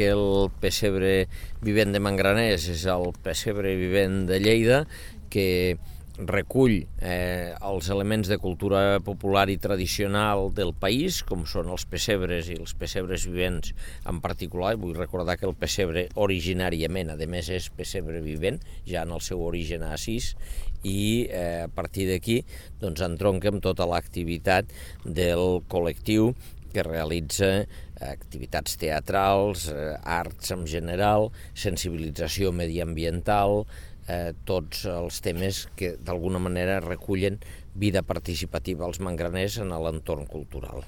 El pessebre vivent de Mangraners és el pessebre vivent de Lleida, que recull els elements de cultura popular i tradicional del país, com són els pessebres i els pessebres vivents en particular. Vull recordar que el pessebre originàriament, a més, és pessebre vivent, ja en el seu origen assís, i a partir d'aquí doncs, entronca amb tota l'activitat del col·lectiu que realitza activitats teatrals, arts en general, sensibilització mediambiental, tots els temes que d'alguna manera recullen vida participativa als mangraners en l'entorn cultural.